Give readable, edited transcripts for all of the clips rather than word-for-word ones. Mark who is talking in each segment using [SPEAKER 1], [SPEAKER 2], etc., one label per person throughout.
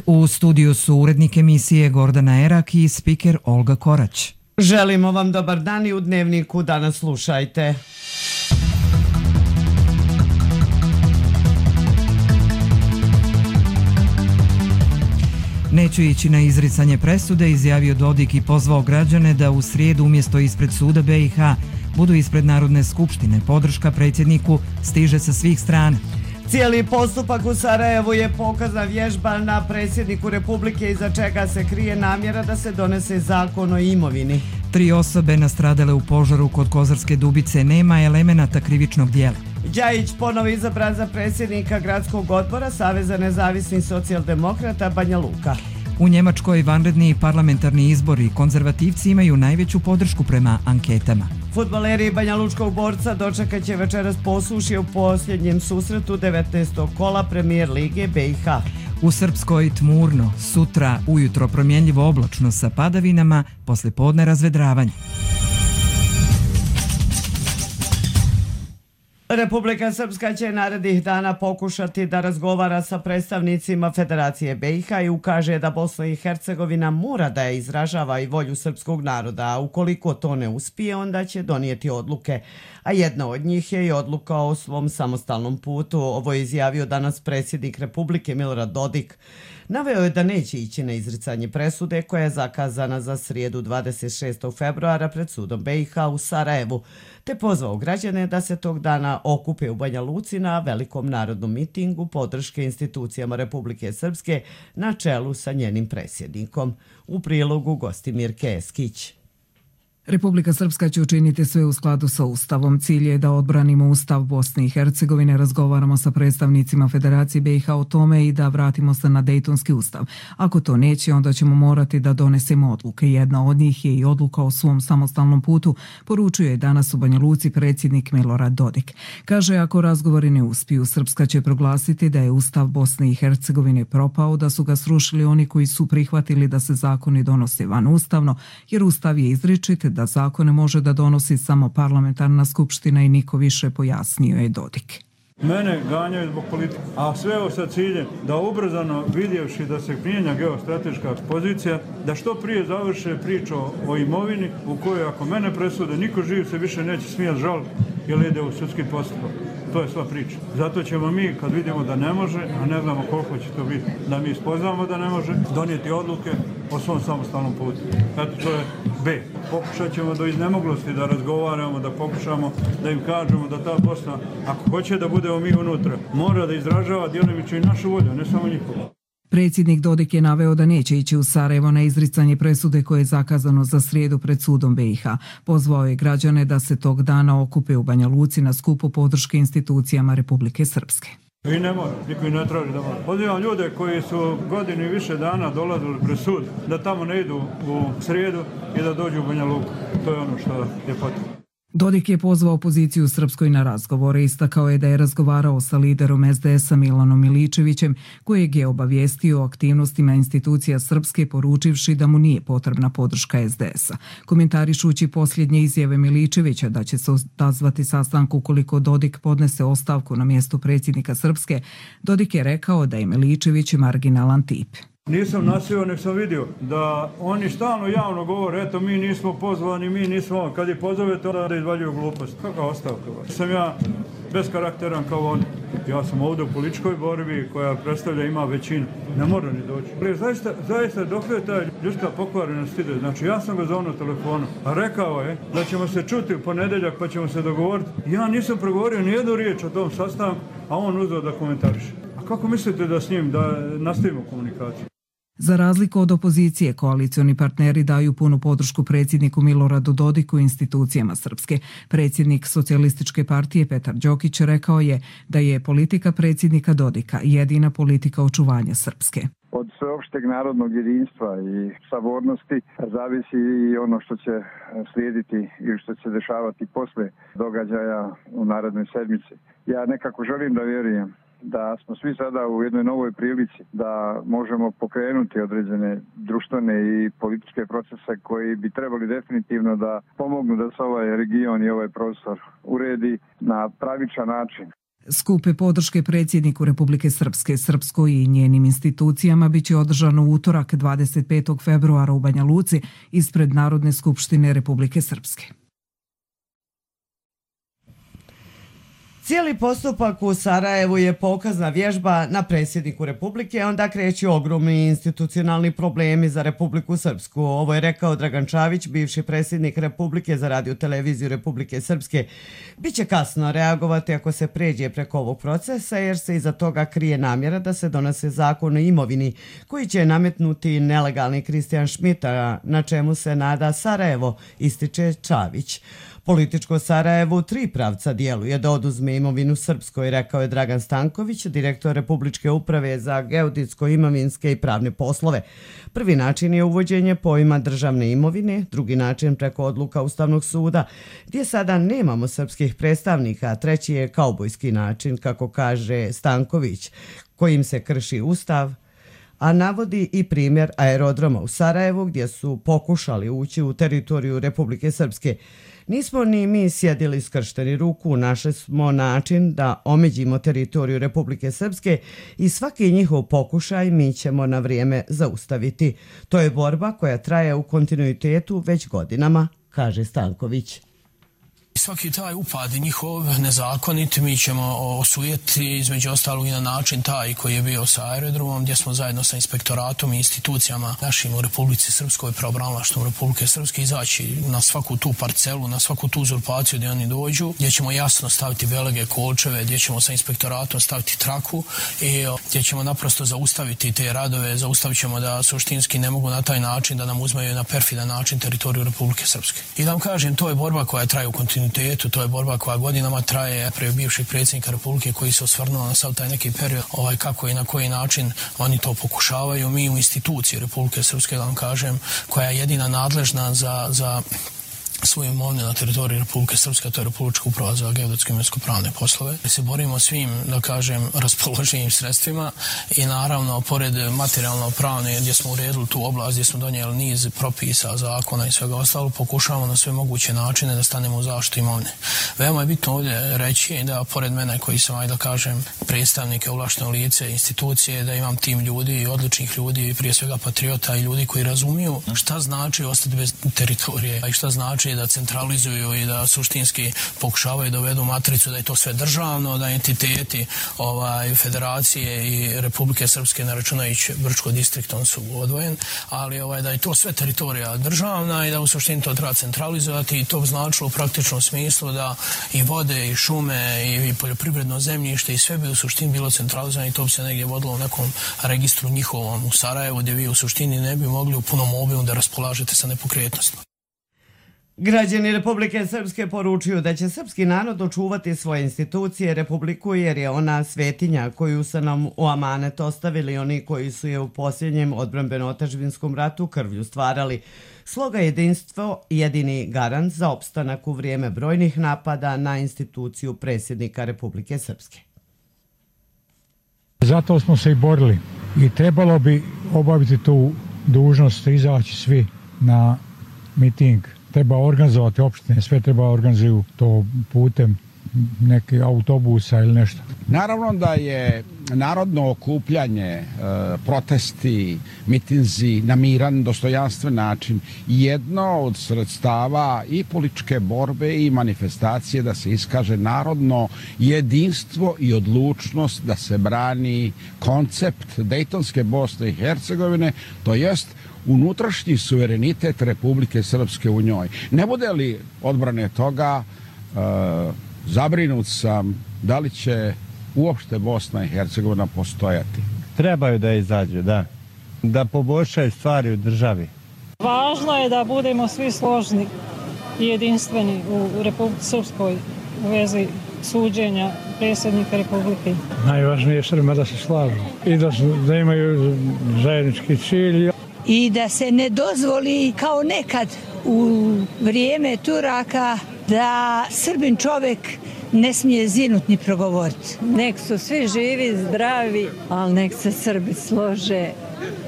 [SPEAKER 1] U studiju su urednik emisije Gordana Erak i spiker Olga Korać.
[SPEAKER 2] Želimo vam dobar dan i u Dnevniku danas slušajte.
[SPEAKER 1] Neću ići na izricanje presude, izjavio Dodik i pozvao građane da u srijedu umjesto ispred suda BiH budu ispred Narodne skupštine. Podrška predsjedniku stiže sa svih strana.
[SPEAKER 2] Cijeli postupak u Sarajevu je pokazna vježba na predsjedniku Republike iza čega se krije namjera da se donese zakon o imovini.
[SPEAKER 1] 3 osobe nastradale u požaru kod Kozarske Dubice, nema elemenata krivičnog dijela.
[SPEAKER 2] Đajić ponovo izabran za predsjednika gradskog odbora Saveza nezavisnih socijaldemokrata Banja Luka.
[SPEAKER 1] U Njemačkoj vanredni parlamentarni izbori, konzervativci imaju najveću podršku prema anketama.
[SPEAKER 2] Fudbaleri Banja Lučkog Borca dočekat će večeras posušje u posljednjem susretu 19. kola Premijer Lige BiH.
[SPEAKER 1] U Srpskoj tmurno, sutra ujutro promjenljivo oblačno sa padavinama, poslijepodne razvedravanje.
[SPEAKER 2] Republika Srpska će narednih dana pokušati da razgovara sa predstavnicima Federacije BiH i ukaže da Bosna i Hercegovina mora da je izražava i volju srpskog naroda, a ukoliko to ne uspije, onda će donijeti odluke. A jedna od njih je i odluka o svom samostalnom putu. Ovo je izjavio danas predsjednik Republike Milorad Dodik. Naveo je da neće ići na izricanje presude koja je zakazana za srijedu 26. februara pred sudom BiH u Sarajevu, te pozvao građane da se tog dana okupe u Banja Luci na velikom narodnom mitingu podrške institucijama Republike Srpske na čelu sa njenim predsjednikom. U prilogu Gostimir Keskić.
[SPEAKER 3] Republika Srpska će učiniti sve u skladu sa Ustavom. Cilj je da odbranimo Ustav Bosne i Hercegovine, razgovaramo sa predstavnicima Federacije BiH o tome i da vratimo se na Dejtonski ustav. Ako to neće, onda ćemo morati da donesemo odluke. Jedna od njih je i odluka o svom samostalnom putu, poručuje danas u Banja Luci predsjednik Milorad Dodik. Kaže, ako razgovori ne uspiju, Srpska će proglasiti da je Ustav Bosne i Hercegovine propao, da su ga srušili oni koji su prihvatili da se zakoni donose vanustavno, jer Ustav je izričit da zakone može da donosi samo parlamentarna skupština i niko više, pojasnio je Dodik.
[SPEAKER 4] Mene ganjaju zbog politike, a sve ovo sa ciljem da ubrzano vidjevši da se mijenja geostrateška pozicija, da što prije završe priču o imovini u kojoj ako mene presude, niko živ se više neće smijati žaliti jer ide u sudski postupak. To je sva priča. Zato ćemo mi, kad vidimo da ne može, a ne znamo koliko će to biti, da mi spoznamo da ne može, donijeti odluke o svom samostalnom putu. Eto, to je B. Pokušat ćemo do iznemoglosti da razgovaramo, da pokušamo da im kažemo da ta Bosna, ako hoće da budemo mi unutra, mora da izražava djelomično i našu volju, ne samo njihovu.
[SPEAKER 3] Predsjednik Dodik je naveo da neće ići u Sarajevo na izricanje presude koje je zakazano za srijedu pred sudom BiH. Pozvao je građane da se tog dana okupe u Banja Luci na skupu podrške institucijama Republike Srpske.
[SPEAKER 4] I ne mora, niko i ne traži da mora. Pozivam ljude koji su godinu i više dana dolazili pred sud, da tamo ne idu u srijedu i da dođu u Banja Luku. To je ono što je potrebno.
[SPEAKER 3] Dodik je pozvao opoziciju Srpskoj na razgovore. Istakao je da je razgovarao sa liderom SDS-a Milanom Miličevićem, kojeg je obavijestio o aktivnostima institucija Srpske, poručivši da mu nije potrebna podrška SDS-a. Komentarišući posljednje izjave Miličevića da će se odazvati sastanku ukoliko Dodik podnese ostavku na mjesto predsjednika Srpske, Dodik je rekao da je Miličević marginalan tip.
[SPEAKER 4] Nisam nasio, nek sam vidio da oni stalno javno govore, eto mi nismo pozvani, mi nismo, kad je pozovete onda da izvaljuju glupost. Kakva ostavka? Sam ja beskarakteran kao oni. Ja sam ovdje u političkoj borbi koja predstavlja ima većinu. Ne mora ni doći. Zaista dok je ta ljudska pokvarenost ide. Znači ja sam ga zovno telefonu, a rekao je da ćemo se čuti u ponedjeljak pa ćemo se dogovoriti. Ja nisam progovorio ni jednu riječ o tom sastanku, a on uzeo da komentariše. A kako mislite da s njim da nastavimo komunikaciju?
[SPEAKER 3] Za razliku od opozicije, koalicioni partneri daju punu podršku predsjedniku Miloradu Dodiku i institucijama Srpske. Predsjednik Socijalističke partije Petar Đokić rekao je da je politika predsjednika Dodika jedina politika očuvanja Srpske.
[SPEAKER 5] Od sveopšteg narodnog jedinstva i sabornosti zavisi i ono što će slijediti i što će se dešavati posle događaja u narednoj sedmici. Ja nekako želim da vjerujem da smo svi sada u jednoj novoj prilici da možemo pokrenuti određene društvene i političke procese koji bi trebali definitivno da pomognu da se ovaj region i ovaj prostor uredi na pravičan način.
[SPEAKER 3] Skupe podrške predsjedniku Republike Srpske, Srpskoj i njenim institucijama biće održano u utorak 25. februara u Banja Luci ispred Narodne skupštine Republike Srpske.
[SPEAKER 2] Cijeli postupak u Sarajevu je pokazna vježba na predsjedniku Republike, onda kreću ogromni institucionalni problemi za Republiku Srpsku. Ovo je rekao Dragan Čavić, bivši predsjednik Republike za radio-televiziju Republike Srpske. Biće kasno reagovati ako se pređe preko ovog procesa, jer se iza toga krije namjera da se donese zakon o imovini koji će nametnuti nelegalni Kristijan Šmita, na čemu se nada Sarajevo, ističe Čavić. Političko Sarajevo u 3 pravca djeluje da oduzme imovinu Srpskoj, rekao je Dragan Stanković, direktor Republičke uprave za geodetsko, imovinske i pravne poslove. Prvi način je uvođenje pojma državne imovine, drugi način preko odluka Ustavnog suda, gdje sada nemamo srpskih predstavnika, treći je kaubojski način, kako kaže Stanković, kojim se krši Ustav, a navodi i primjer aerodroma u Sarajevu gdje su pokušali ući u teritoriju Republike Srpske. Nismo ni mi sjedili skršteni ruku, našli smo način da omeđimo teritoriju Republike Srpske i svaki njihov pokušaj mi ćemo na vrijeme zaustaviti. To je borba koja traje u kontinuitetu već godinama, kaže Stanković.
[SPEAKER 6] Svaki taj upad njihov nezakonit mi ćemo osujeti između ostalog i na način taj koji je bio sa aerodromom, gdje smo zajedno sa inspektoratom i institucijama našim u Republici Srpskoj, pravobranilaštvom Republike Srpske, izaći na svaku tu parcelu, na svaku tu uzurpaciju gdje oni dođu, gdje ćemo jasno staviti belege, kolčeve, gdje ćemo sa inspektoratom staviti traku i gdje ćemo naprosto zaustaviti te radove, zaustavit ćemo da suštinski ne mogu na taj način da nam uzmeju na perfidan način teritoriju Republike Srpske. I da vam kažem, to je borba koja traje u kontinuitetu, to je borba koja godinama traje prije bivšeg predsjednika Republike koji se osvrnuo na sav taj neki period, kako i na koji način oni to pokušavaju. Mi u instituciji Republike Srpske, da vam kažem, koja je jedina nadležna za svoju imovinu na teritoriji Republike Srpske, to je Republička uprava za geodetske i imovinsko-pravne poslove. Mi se borimo svim, da kažem, raspoloženim sredstvima i naravno, pored materijalno-pravne, gdje smo uredili tu oblast, gdje smo donijeli niz propisa, zakona i svega ostalo, pokušavamo na sve moguće načine da stanemo u zaštitu imovine. Veoma je bitno ovdje reći da, pored mene koji sam, da kažem, predstavnike, ovlašteno lice, institucije, da imam tim ljudi, odličnih ljudi, prije svega patriota i ljudi koji razumiju šta znači ostati bez teritorije i šta znači da centralizuju i da suštinski pokušavaju da uvedu matricu da je to sve državno, da entiteti federacije i Republike Srpske, ne računajući Brčko distriktom, su odvojen, ali da je to sve teritorija državna i da u suštini to treba centralizovati i to bi značilo u praktičnom smislu da i vode i šume i poljoprivredno zemljište i sve bi u suštini bilo centralizovano i to bi se negdje vodilo u nekom registru njihovom u Sarajevu, gdje vi u suštini ne bi mogli u punom obimu da raspolažete sa nepokretnostima.
[SPEAKER 2] Građani Republike Srpske poručuju da će srpski narod očuvati svoje institucije, Republiku, jer je ona svetinja koju su nam u amanet ostavili oni koji su je u posljednjem odbrambeno-otadžbinskom ratu krvlju stvarali. Sloga jedinstvo jedini garant za opstanak u vrijeme brojnih napada na instituciju predsjednika Republike Srpske.
[SPEAKER 7] Zato smo se i borili i trebalo bi obaviti tu dužnost, izaći svi na miting. Treba organizovati opštine, sve treba organizuju to putem neke autobusa ili nešto.
[SPEAKER 8] Naravno da je narodno okupljanje, protesti, mitinzi na miran, dostojanstven način jedno od sredstava i političke borbe i manifestacije da se iskaže narodno jedinstvo i odlučnost da se brani koncept Dejtonske Bosne i Hercegovine, to jest unutrašnji suverenitet Republike Srpske u njoj. Ne bude li odbrane toga, zabrinut sam da li će uopšte Bosna i Hercegovina postojati.
[SPEAKER 9] Trebaju da izađu, da poboljšaju stvari u državi.
[SPEAKER 10] Važno je da budemo svi složni i jedinstveni u Republici Srpskoj u vezi suđenja predsjednika Republike.
[SPEAKER 11] Najvažnije je Srbima da se slažu i da imaju zajednički cilj.
[SPEAKER 12] I da se ne dozvoli kao nekad u vrijeme Turaka da Srbin čovjek ne smije zinut ni progovoriti.
[SPEAKER 13] Nek su svi živi, zdravi, ali nek se Srbi slože,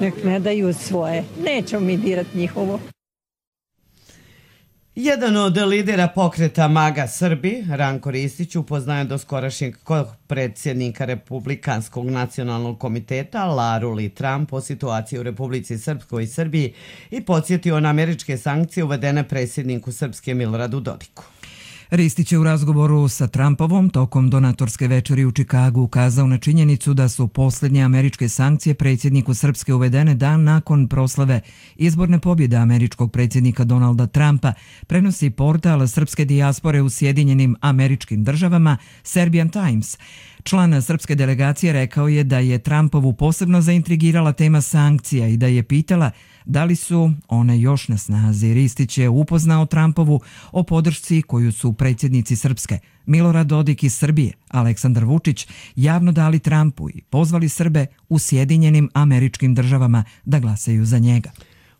[SPEAKER 13] nek ne daju svoje. Nećemo mi dirati njihovo.
[SPEAKER 2] Jedan od lidera pokreta MAGA Srbi, Ranko Ristić, upoznaje doskorašnjeg predsjednika Republikanskog nacionalnog komiteta Laru Lee Trump o situaciji u Republici Srpskoj i Srbiji i podsjetio na američke sankcije uvedene predsjedniku Srpske Miloradu Dodiku.
[SPEAKER 1] Ristić je u razgovoru sa Trumpovom tokom donatorske večeri u Čikagu ukazao na činjenicu da su posljednje američke sankcije predsjedniku Srpske uvedene dan nakon proslave izborne pobjede američkog predsjednika Donalda Trumpa, prenosi portal srpske dijaspore u Sjedinjenim Američkim Državama Serbian Times. Član srpske delegacije rekao je da je Trumpovu posebno zaintrigirala tema sankcija i da je pitala da li su one još na snazi. Ristić je upoznao Trumpovu o podršci koju su predsjednici Srpske Milorad Dodik iz Srbije, Aleksandar Vučić, javno dali Trumpu i pozvali Srbe u Sjedinjenim Američkim Državama da glasaju za njega.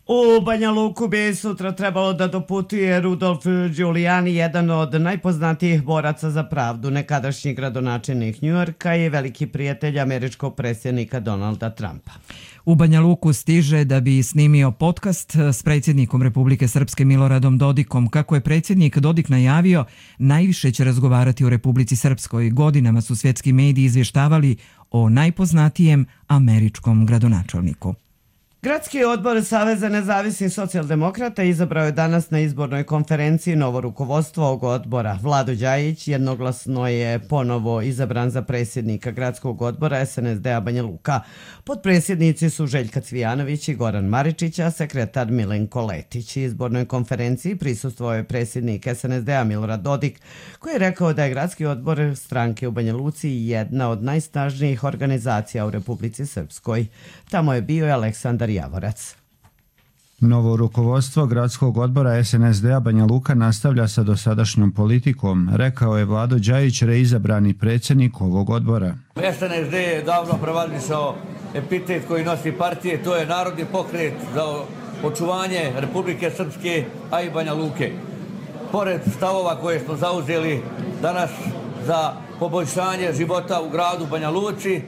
[SPEAKER 2] U Banja Luku bi sutra trebalo da doputuje Rudolf Giuliani, jedan od najpoznatijih boraca za pravdu, nekadašnji gradonačelnik Njujorka i veliki prijatelj američkog predsjednika Donalda Trumpa.
[SPEAKER 1] U Banja Luku stiže da bi snimio podcast s predsjednikom Republike Srpske Miloradom Dodikom. Kako je predsjednik Dodik najavio, najviše će razgovarati o Republici Srpskoj. Godinama su svjetski mediji izvještavali o najpoznatijem američkom gradonačelniku.
[SPEAKER 2] Gradski odbor Saveza nezavisnih socijaldemokrata izabrao je danas na izbornoj konferenciji novo rukovodstvo ovog odbora. Vlado Đajić jednoglasno je ponovo izabran za predsjednika gradskog odbora SNSD-a Banja Luka. Potpredsjednici su Željka Cvijanović i Goran Maričić, a sekretar Milenko Letić. Izbornoj konferenciji prisustvovao je predsjednik SNSD-a Milorad Dodik, koji je rekao da je gradski odbor stranke u Banja Luci jedna od najsnažnijih organizacija u Republici Srpskoj. Tamo je bio i Aleksandar Javorac.
[SPEAKER 14] Novo rukovodstvo gradskog odbora SNSD-a Banja Luka nastavlja sa dosadašnjom politikom, rekao je Vlado Đajić, reizabrani predsjednik ovog odbora.
[SPEAKER 15] SNSD je davno prevalisao epitet koji nosi partije, to je narodni pokret za očuvanje Republike Srpske, a i Banja Luke. Pored stavova koje smo zauzeli danas za poboljšanje života u gradu Banja Luci,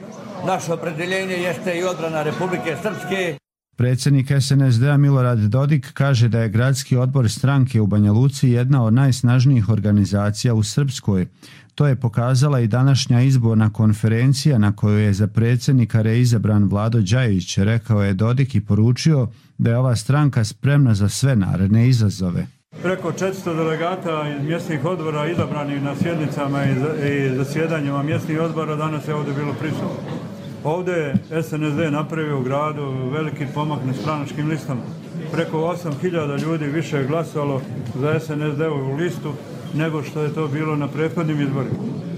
[SPEAKER 15] naše opredjeljenje jeste i odbrana Republike Srpske.
[SPEAKER 14] Predsjednik SNSD-a Milorad Dodik kaže da je gradski odbor stranke u Banja Luci jedna od najsnažnijih organizacija u Srpskoj. To je pokazala i današnja izborna konferencija na kojoj je za predsjednika reizabran Vlado Đajić, rekao je Dodik i poručio da je ova stranka spremna za sve naredne izazove.
[SPEAKER 4] Preko 400 delegata iz mjesnih odbora izabranih na sjednicama i zasjedanjima mjesnih odbora danas je ovdje bilo prisutno. Ovdje je SNSD napravio u gradu veliki pomak na stranačkim listama. Preko 8000 ljudi više je glasalo za SNSD-ovu listu nego što je to bilo na prethodnim izborima.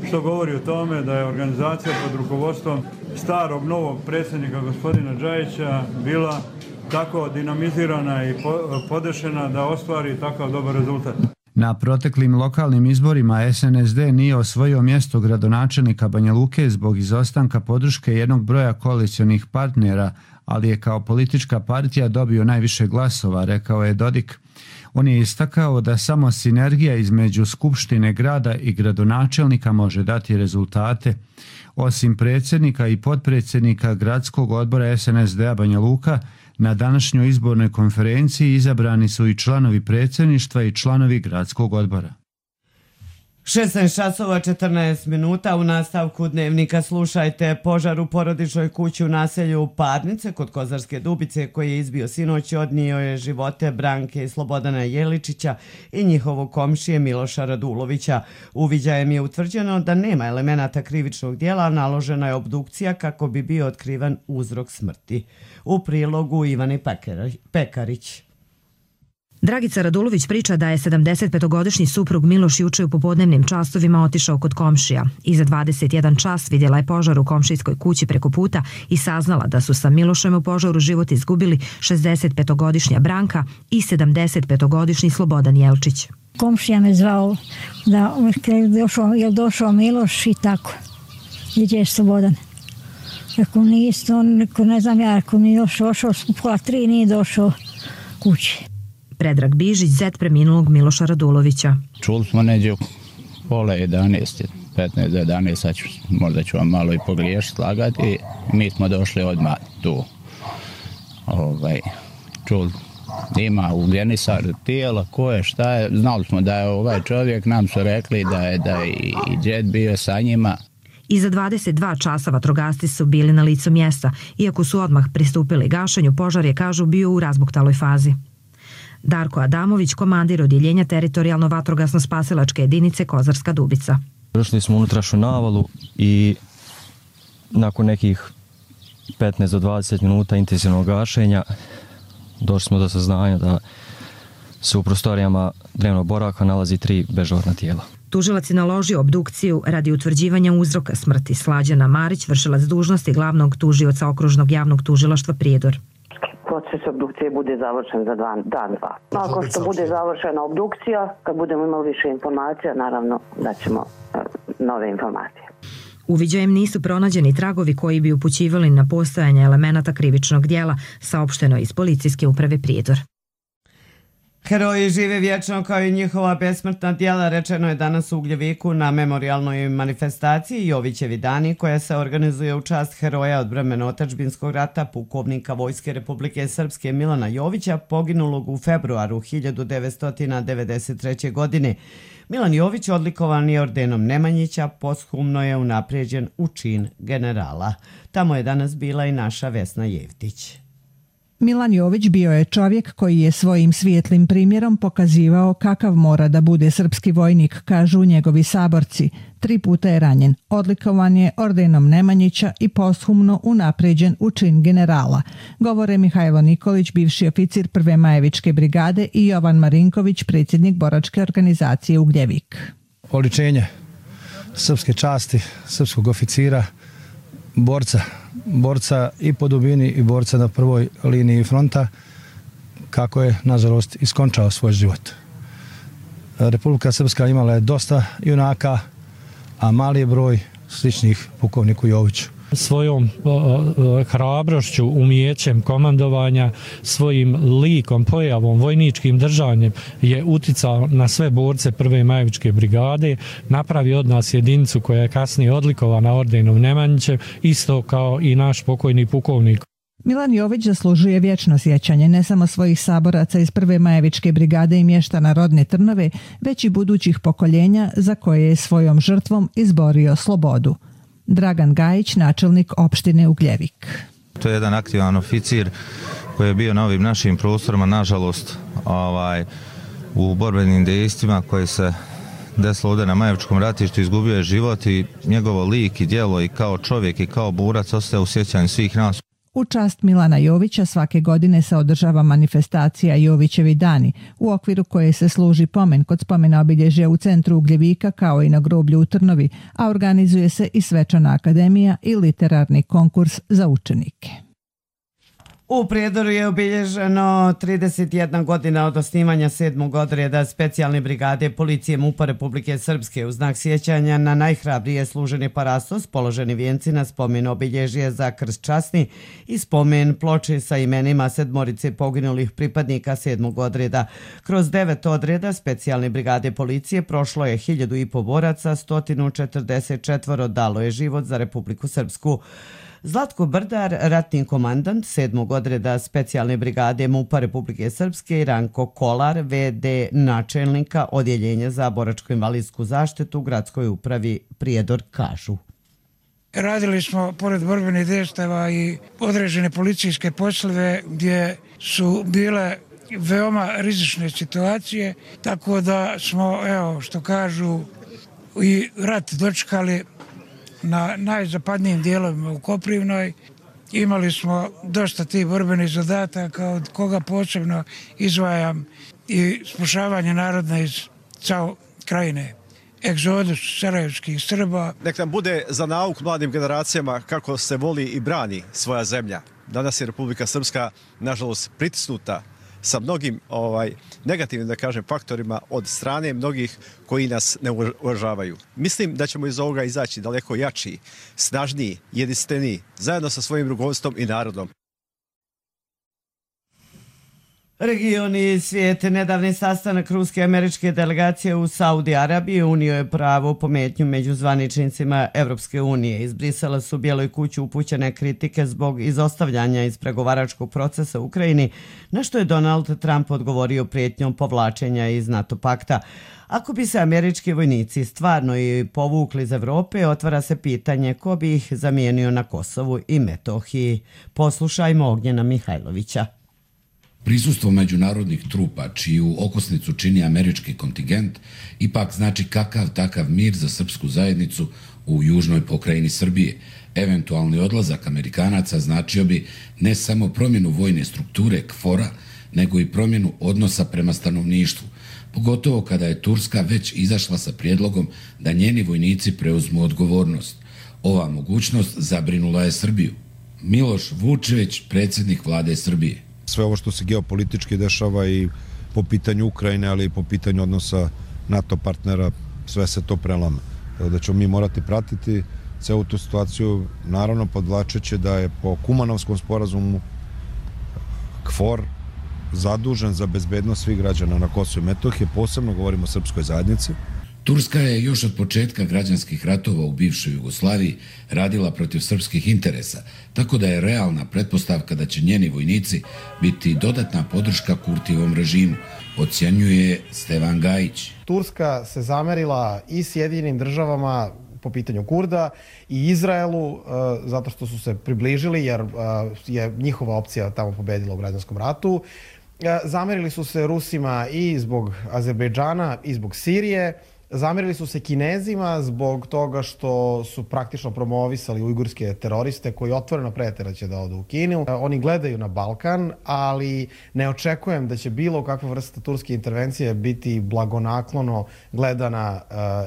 [SPEAKER 4] Što govori o tome da je organizacija pod rukovodstvom starog novog predsjednika gospodina Đajića bila tako dinamizirana i podešena da ostvari takav dobar rezultat.
[SPEAKER 14] Na proteklim lokalnim izborima SNSD nije osvojio mjesto gradonačelnika Banja Luke zbog izostanka podrške jednog broja koalicionih partnera, ali je kao politička partija dobio najviše glasova, rekao je Dodik. On je istakao da samo sinergija između Skupštine grada i gradonačelnika može dati rezultate. Osim predsjednika i potpredsjednika gradskog odbora SNSD-a Banja Luka, na današnjoj izbornoj konferenciji izabrani su i članovi predsjedništva i članovi gradskog odbora.
[SPEAKER 2] 16:14 u nastavku dnevnika slušajte: požar u porodičnoj kući u naselju Parnice kod Kozarske Dubice koji je izbio sinoć odnio je živote Branke i Slobodana Jeličića i njihovog komšije Miloša Radulovića. Uviđajem je utvrđeno da nema elemenata krivičnog djela, naložena je obdukcija kako bi bio otkriven uzrok smrti. U prilogu Ivane Pekarić.
[SPEAKER 16] Dragica Radulović priča da je 75-godišnji suprug Miloš juče u popodnevnim časovima otišao kod komšija. Iza 21 čas vidjela je požar u komšijskoj kući preko puta i saznala da su sa Milošem u požaru život izgubili 65-godišnja Branka i 75-godišnji Slobodan Jelčić.
[SPEAKER 17] Komšija me zvao da je došao Miloš i tako. Gdje je Slobodan? Ako niste, ne znam ja, ako mi još došao, pola 3 nije došao kući.
[SPEAKER 16] Predrag Bižić, zet preminulog Miloša Radulovića.
[SPEAKER 18] Čuli smo neđe pola 11, 15 do 11, sad možda ću vam malo i pogriješiti, lagati. Mi smo došli odmah tu. Čuli Ima u genisar tijela, ko je, šta je. Znali smo da je ovaj čovjek, nam su rekli da je i djed bio sa njima.
[SPEAKER 16] Iza 22 časa vatrogasci su bili na licu mjesta, iako su odmah pristupili gašenju, požar je, kažu, bio u razbuktaloj fazi. Darko Adamović, komandir odjeljenja teritorijalno vatrogasno-spasilačke jedinice Kozarska Dubica.
[SPEAKER 19] Došli smo u unutrašnju navalu i nakon nekih 15 do 20 minuta intenzivnog gašenja došli smo do saznanja da se u prostorijama dnevnog boravka nalazi 3 bežurna tijela.
[SPEAKER 16] Tužilac je naložio obdukciju radi utvrđivanja uzroka smrti. Slađana Marić, vršilac dužnosti glavnog tužioca Okružnog javnog tužilaštva Prijedor.
[SPEAKER 20] Proces obdukcije bude završen za dan, dva. Nakon što bude završena obdukcija, kad budemo imali više informacija, naravno da ćemo nove informacije.
[SPEAKER 16] Uviđajem nisu pronađeni tragovi koji bi upućivali na postojanje elemenata krivičnog dijela, saopšteno iz policijske uprave Prijedor.
[SPEAKER 2] Heroji žive vječno kao i njihova besmrtna djela, rečeno je danas u Ugljeviku na memorijalnoj manifestaciji Jovićevi dani, koja se organizuje u čast heroja odbrambeno-otadžbinskog rata, pukovnika Vojske Republike Srpske Milana Jovića, poginulog u februaru 1993. godine. Milan Jović odlikovan je ordenom Nemanjića, posthumno je unaprijeđen u čin generala. Tamo je danas bila i naša Vesna Jevtić.
[SPEAKER 21] Milan Jović bio je čovjek koji je svojim svijetlim primjerom pokazivao kakav mora da bude srpski vojnik, kažu njegovi saborci. 3 puta je ranjen, odlikovan je ordenom Nemanjića i posthumno unapređen u čin generala. Govore Mihajlo Nikolić, bivši oficir 1. Majevičke brigade, i Jovan Marinković, predsjednik boračke organizacije Ugljevik.
[SPEAKER 22] Oličenje srpske časti, srpskog oficira, borca i po dubini i borca na prvoj liniji fronta, kako je, nažalost, iskončao svoj život. Republika Srpska imala je dosta junaka, a mali je broj sličnih pukovniku Joviću.
[SPEAKER 11] Svojom hrabrošću, umijećem komandovanja, svojim likom, pojavom, vojničkim držanjem je uticao na sve borce 1. Majevičke brigade, napravio od nas jedinicu koja je kasnije odlikovana ordenom Nemanjićem, isto kao i naš pokojni pukovnik.
[SPEAKER 21] Milan Jović zaslužuje vječno sjećanje ne samo svojih saboraca iz 1. Majevičke brigade i mještana rodne Trnave, već i budućih pokoljenja za koje je svojom žrtvom izborio slobodu. Dragan Gajić, načelnik opštine Ugljevik.
[SPEAKER 23] To je jedan aktivan oficir koji je bio na ovim našim prostorima, nažalost, u borbenim dejstvima koji se desilo ovdje na Majevičkom ratištu, izgubio je život i njegovo lik i djelo i kao čovjek i kao borac ostaje u sjećanju svih nas.
[SPEAKER 21] U čast Milana Jovića svake godine se održava manifestacija Jovićevi dani, u okviru koje se služi pomen kod spomena obilježja u centru Ugljevika kao i na groblju u Trnovi, a organizuje se i svečana akademija i literarni konkurs za učenike.
[SPEAKER 2] U Prijedoru je obilježeno 31 godina od osnivanja 7. odreda specijalne brigade policije MUP-a Republike Srpske. U znak sjećanja na najhrabrije služeni parastos, položeni vijenci na spomen obilježje za krst časni i spomen ploče sa imenima 7 poginulih pripadnika 7. odreda. Kroz 9 odreda specijalne brigade policije prošlo je 1500 boraca, 144 dalo je život za Republiku Srpsku. Zlatko Brdar, ratni komandant 7. odreda specijalne brigade MUP-a Republike Srpske, i Ranko Kolar, VD načelnika Odjeljenja za boračko-invalidsku zaštitu u gradskoj upravi Prijedor, kažu.
[SPEAKER 24] Radili smo pored borbenih dejstava i određene policijske poslove gdje su bile veoma rizične situacije, tako da smo, evo što kažu, i rat dočekali na najzapadnijim dijelovima u Koprivnoj. Imali smo dosta tih borbenih zadataka, od koga posebno izdvajam i spašavanje naroda iz cao krajine, egzodus sarajevskih Srba.
[SPEAKER 25] Nek nam bude za nauk mladim generacijama kako se voli i brani svoja zemlja. Danas je Republika Srpska, nažalost, pritisnuta sa mnogim negativnim, da kažem, faktorima od strane mnogih koji nas ne uvažavaju. Mislim da ćemo iz ovoga izaći daleko jači, snažniji, jedinstveniji, zajedno sa svojim rukovodstvom i narodom.
[SPEAKER 2] Region i svijet. Nedavni sastanak ruske i američke delegacije u Saudi Arabiji unio je pravu pometnju među zvaničnicima Evropske unije. Iz Brisela su Bijeloj kući upućene kritike zbog izostavljanja iz pregovaračkog procesa u Ukrajini, na što je Donald Trump odgovorio prijetnjom povlačenja iz NATO pakta. Ako bi se američki vojnici stvarno i povukli iz Evrope, otvara se pitanje ko bi ih zamijenio na Kosovu i Metohiji. Poslušajmo Ognjena Mihajlovića.
[SPEAKER 3] Prisustvo međunarodnih trupa, čiju okosnicu čini američki kontingent, ipak znači kakav takav mir za srpsku zajednicu u južnoj pokrajini Srbije. Eventualni odlazak Amerikanaca značio bi ne samo promjenu vojne strukture KFOR-a, nego i promjenu odnosa prema stanovništvu, pogotovo kada je Turska već izašla sa prijedlogom da njeni vojnici preuzmu odgovornost. Ova mogućnost zabrinula je Srbiju. Miloš Vučević, predsjednik vlade Srbije.
[SPEAKER 5] Sve ovo što se geopolitički dešava i po pitanju Ukrajine, ali i po pitanju odnosa NATO partnera, sve se to prelama. Da ćemo mi morati pratiti celu tu situaciju, naravno podvlačeći da je po Kumanovskom sporazumu KFOR zadužen za bezbednost svih građana na Kosovu i Metohiji, posebno govorimo o srpskoj zajednici.
[SPEAKER 3] Turska je još od početka građanskih ratova u bivšoj Jugoslaviji radila protiv srpskih interesa, tako da je realna pretpostavka da će njeni vojnici biti dodatna podrška Kurtijevom režimu, ocjenjuje Stevan Gajić.
[SPEAKER 6] Turska se zamerila i Sjedinjenim državama po pitanju Kurda i Izraelu zato što su se približili jer je njihova opcija tamo pobedila u građanskom ratu. Zamerili su se Rusima i zbog Azerbejdžana i zbog Sirije. Zamerili su se Kinezima zbog toga što su praktično promovisali ujgurske teroriste koji otvoreno prete da će da odu u Kinu. Oni gledaju na Balkan, ali ne očekujem da će bilo kakva vrsta turske intervencije biti blagonaklono gledana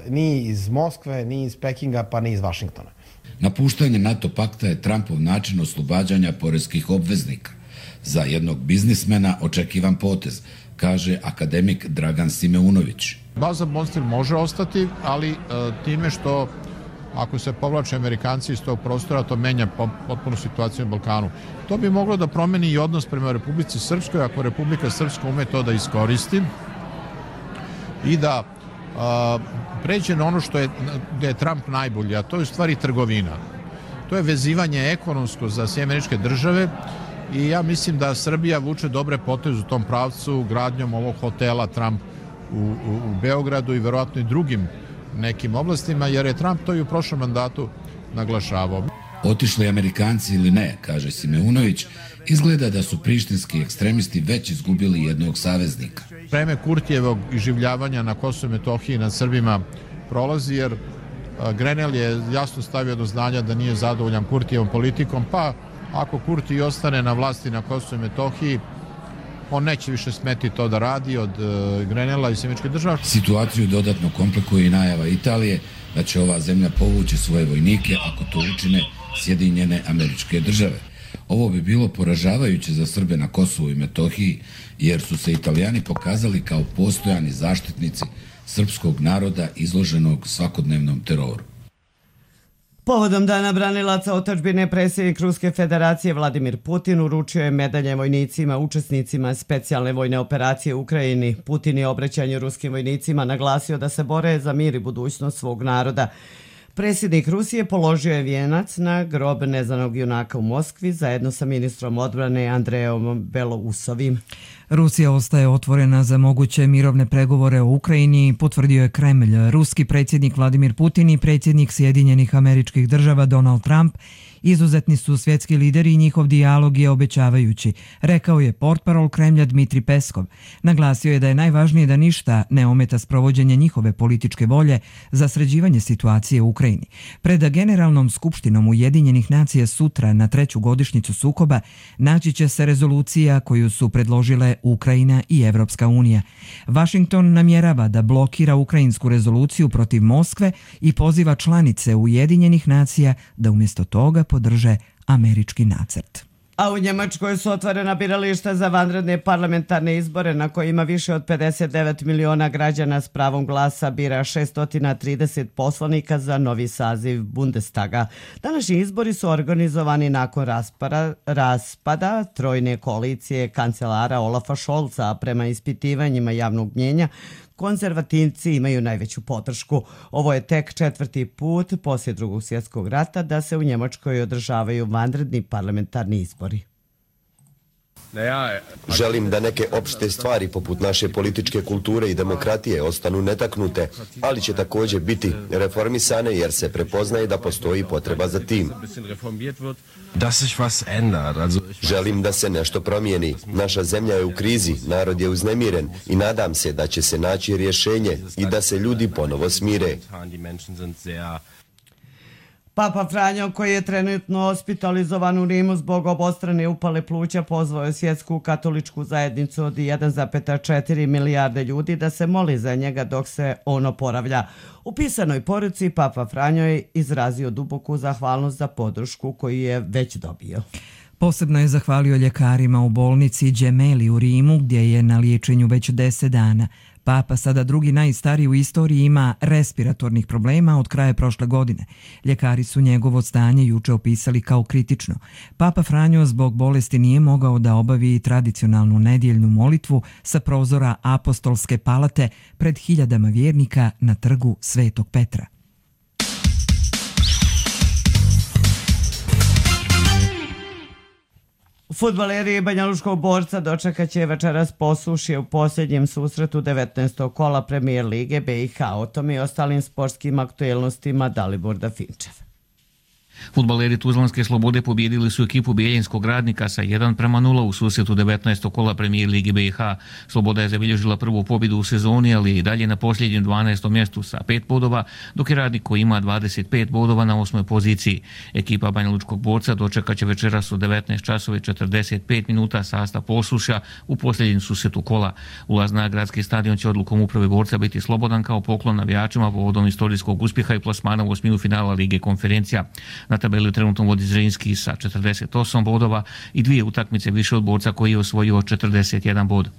[SPEAKER 6] ni iz Moskve, ni iz Pekinga, pa ni iz Vašingtona.
[SPEAKER 3] Napuštanje NATO pakta je Trumpov način oslobađanja poreskih obveznika. Za jednog biznismena očekivan potez, kaže akademik Dragan Simeunović.
[SPEAKER 7] Baza Monstir može ostati, ali time što ako se povlače Amerikanci iz tog prostora, to menja potpuno situaciju na Balkanu. To bi moglo da promeni i odnos prema Republici Srpskoj, ako Republika Srpska ume to da iskoristi i da pređe na ono što je, gde je Trump najbolji, a to je u stvari trgovina. To je vezivanje ekonomsko za sve američke države i ja mislim da Srbija vuče dobre poteze u tom pravcu gradnjom ovog hotela Trump u Beogradu i verovatno i drugim nekim oblastima, jer je Trump to i u prošlom mandatu naglašavao.
[SPEAKER 3] Otišli Amerikanci ili ne, kaže Simeunović, izgleda da su prištinski ekstremisti već izgubili jednog saveznika.
[SPEAKER 7] Vreme Kurtijevog iživljavanja na Kosovu i Metohiji nad Srbima prolazi, jer Grenell je jasno stavio do znanja da nije zadovoljan Kurtijevom politikom, pa ako Kurti ostane na vlasti na Kosovu i Metohiji, on neće više smeti to da radi od Grenella i Sjemeničke države.
[SPEAKER 3] Situaciju dodatno komplikuje i najava Italije da će ova zemlja povući svoje vojnike ako to učine Sjedinjene Američke Države. Ovo bi bilo poražavajuće za Srbe na Kosovu i Metohiji, jer su se Italijani pokazali kao postojani zaštitnici srpskog naroda izloženog svakodnevnom teroru.
[SPEAKER 2] Povodom Dana branilaca otadžbine, predsjednik Ruske federacije Vladimir Putin uručio je medalje vojnicima, učesnicima specijalne vojne operacije u Ukrajini. Putin je obraćanju ruskim vojnicima naglasio da se bore za mir i budućnost svog naroda. Predsjednik Rusije položio je vijenac na grob neznanog junaka u Moskvi zajedno sa ministrom odbrane Andrejom Belousovim.
[SPEAKER 1] Rusija ostaje otvorena za moguće mirovne pregovore o Ukrajini, potvrdio je Kremlj. Ruski predsjednik Vladimir Putin i predsjednik Sjedinjenih Američkih Država Donald Trump izuzetni su svjetski lideri i njihov dijalog je obećavajući, rekao je portparol Kremlja Dmitri Peskov. Naglasio je da je najvažnije da ništa ne ometa sprovođenje njihove političke volje za sređivanje situacije u Ukrajini. Pred Generalnom skupštinom Ujedinjenih nacija sutra na 3. godišnjicu sukoba naći će se rezolucija koju su predložile Ukrajina i Evropska unija. Washington namjerava da blokira ukrajinsku rezoluciju protiv Moskve i poziva članice Ujedinjenih nacija da umjesto toga podrže američki nacrt.
[SPEAKER 2] A u Njemačkoj su otvorena birališta za vanredne parlamentarne izbore na kojima više od 59 miliona građana s pravom glasa bira 630 poslanika za novi saziv Bundestaga. Današnji izbori su organizovani nakon raspada trojne koalicije kancelara Olafa Scholza, a prema ispitivanjima javnog mnjenja konzervativci imaju najveću podršku. Ovo je tek 4. put poslije Drugog svjetskog rata da se u Njemačkoj održavaju vanredni parlamentarni izbori.
[SPEAKER 8] Želim da neke opšte stvari poput naše političke kulture i demokratije ostanu netaknute, ali će također biti reformisane jer se prepoznaje da postoji potreba za tim. Želim da se nešto promijeni. Naša zemlja je u krizi, narod je uznemiren i nadam se da će se naći rješenje i da se ljudi ponovo smire.
[SPEAKER 2] Papa Franjo, koji je trenutno hospitalizovan u Rimu zbog obostrane upale pluća, pozvao je svjetsku katoličku zajednicu od 1,4 milijarde ljudi da se moli za njega dok se on oporavlja. U pisanoj poruci Papa Franjo je izrazio duboku zahvalnost za podršku koju je već dobio.
[SPEAKER 1] Posebno je zahvalio ljekarima u bolnici Gemelli u Rimu, gdje je na liječenju već 10 dana. Papa, sada drugi najstariji u istoriji, ima respiratornih problema od kraja prošle godine. Ljekari su njegovo stanje juče opisali kao kritično. Papa Franjo zbog bolesti nije mogao da obavi tradicionalnu nedjeljnu molitvu sa prozora apostolske palate pred hiljadama vjernika na trgu Svetog Petra.
[SPEAKER 2] Fudbaleri Banjalučkog Borca dočekat će večeras posušje u posljednjem susretu 19. kola Premijer Lige BiH. O tome i ostalim sportskim aktuelnostima Dalibor Dafinčev.
[SPEAKER 9] Fudbaleri Tuzlanske Slobode pobijedili su ekipu Bijeljinskog Radnika sa 1:0 u susretu 19. kola Premijer Lige BiH. Sloboda je zabilježila prvu pobjedu u sezoni, ali je i dalje na posljednjem 12. mjestu sa 5 bodova, dok je Radnik koji ima 25 bodova na 8. poziciji. Ekipa Banjalučkog Borca dočekat će večeras u 19:45 minuta sastav Posušja u posljednjem susretu kola. Ulaz na gradski stadion će odlukom uprave Borca biti slobodan kao poklon navijačima povodom istorijskog uspjeha i plasmana u osminu finala Lige konferencija. Na tabeli trenutno vodi Zrinski sa 48 bodova i 2 utakmice više od Borca koji je osvojio 41 bod.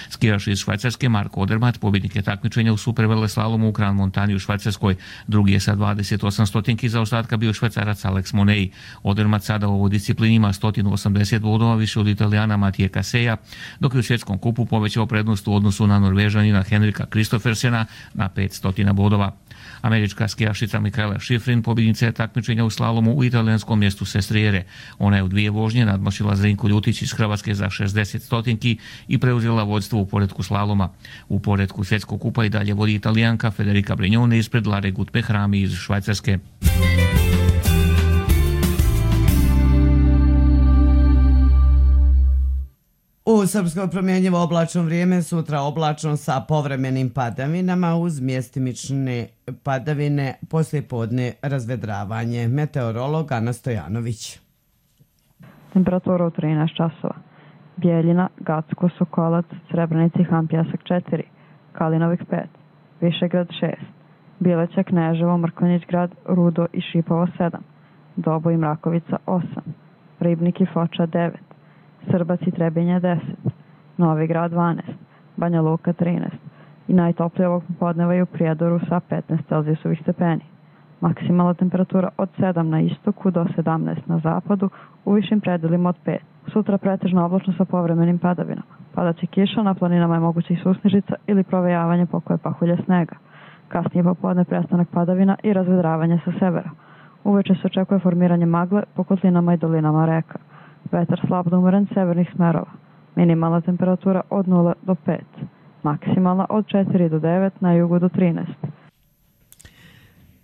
[SPEAKER 9] Skijaš iz Švajcarske Marko Odermatt pobjednik je takmičenja u superveleslalomu u Grand Montani u Švajcarskoj. Drugi je sa 28 stotinki zaostatka bio Švajcarac Alex Monei. Odermatt sada u ovoj disciplini ima 180 bodova više od Italijana Matije Kaseja, dok je u svjetskom kupu povećao prednost u odnosu na Norvežanina Henrika Kristofersena na 500 bodova. Američka skijašica Mikaela Šifrin pobjednica je takmičenja u slalomu u italijanskom mjestu Sestriere. Ona je u 2 vožnje nadmašila Zrinku Ljutić iz Hrvatske za 60 stotinki i preuzela vodstvo u poretku slaloma. U poretku svjetskog kupa i dalje vodi Italijanka Federica Brignone ispred Lare Gutbehrami iz Švajcarske.
[SPEAKER 2] U Srpskoj promjenjivo oblačno vrijeme, sutra oblačno sa povremenim padavinama uz mjestimične padavine, poslijepodne razvedravanje. Meteorolog Ana Stojanović.
[SPEAKER 10] Temperatura u 13 časova. Bijeljina, Gacko, Sokolac, Srebrenica i Han Pjesak 4, Kalinovik 5, Višegrad 6, Bileća, Kneževo, Mrkonjić grad, Rudo i Šipovo 7, Dobo i Mrakovica 8, Ribnik i Foča 9, Srbac i Trebinje 10, Novi grad 12, Banja Luka 13 i najtoplije ovog popodneva je u Prijedoru sa 15 celzijusovih stepeni. Maksimalna temperatura od 7 na istoku do 17 na zapadu, u višim predelima od 5. Sutra pretežno oblačno sa povremenim padavinama. Padaće kiša, na planinama je moguće i susnežica ili provejavanje pokoje pahulje snega. Kasnije popodne prestanak padavina i razvedravanje sa severa. Uveče se očekuje formiranje magle po kotlinama i dolinama reka. Vetar slab do umeren severnih smerova. Minimalna temperatura od 0 do 5. Maksimalna od 4 do 9, na jugu do 13.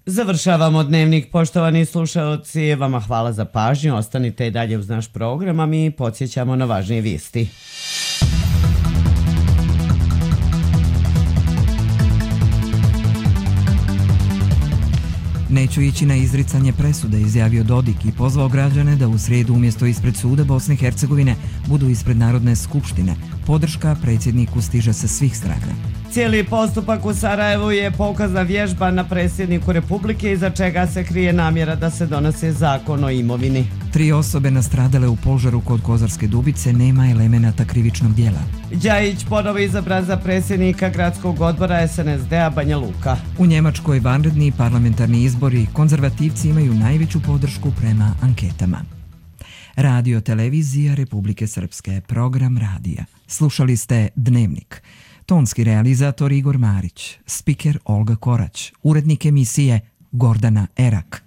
[SPEAKER 2] Završavamo dnevnik, poštovani slušalci. Vama hvala za pažnju. Ostanite i dalje uz naš program, a mi podsjećamo na važnije vijesti.
[SPEAKER 1] Neću ići na izricanje presude, izjavio Dodik i pozvao građane da u srijedu umjesto ispred suda Bosne i Hercegovine budu ispred Narodne skupštine. Podrška predsjedniku stiže sa svih strana.
[SPEAKER 2] Cijeli postupak u Sarajevu je pokazna vježba na predsjedniku Republike iza čega se krije namjera da se donese zakon o imovini.
[SPEAKER 1] 3 osobe nastradale u požaru kod Kozarske Dubice, nema elemenata krivičnog djela.
[SPEAKER 2] Đajić ponovo izabran za predsjednika gradskog odbora SNSD-a Banja Luka.
[SPEAKER 1] U Njemačkoj vanredni parlamentarni izbori, konzervativci imaju najveću podršku prema anketama. Radio televizija Republike Srpske, program radija. Slušali ste Dnevnik. Tonski realizator Igor Marić, spiker Olga Korać, urednik emisije Gordana Erak.